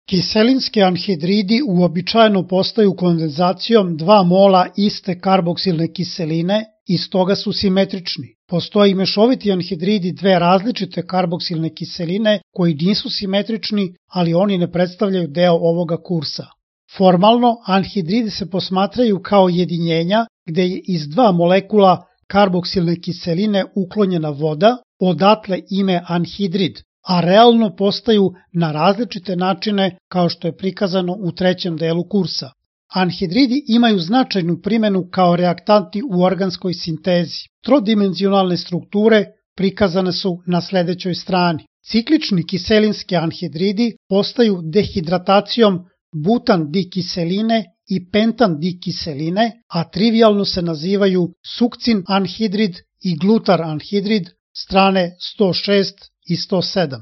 Kiselinski anhidridi uobičajeno postaju kondenzacijom 2 mola iste karboksilne kiseline i stoga su simetrični. Postoje i mešoviti anhidridi dve različite karboksilne kiseline koji nisu simetrični, ali oni ne predstavljaju deo ovoga kursa. Formalno, anhidridi se posmatraju kao jedinjenja gde je iz 2 molekula karboksilne kiseline uklonjena voda, odatle ime anhidrid, a realno postaju na različite načine kao što je prikazano u 3. delu kursa. Anhidridi imaju značajnu primenu kao reaktanti u organskoj sintezi. Trodimenzionalne strukture prikazane su na sledećoj strani. Ciklični kiselinski anhidridi postaju dehidratacijom butan dikiseline i pentan dikiseline, a trivijalno se nazivaju sukcin anhidrid i glutar anhidrid, strane 106 i 107.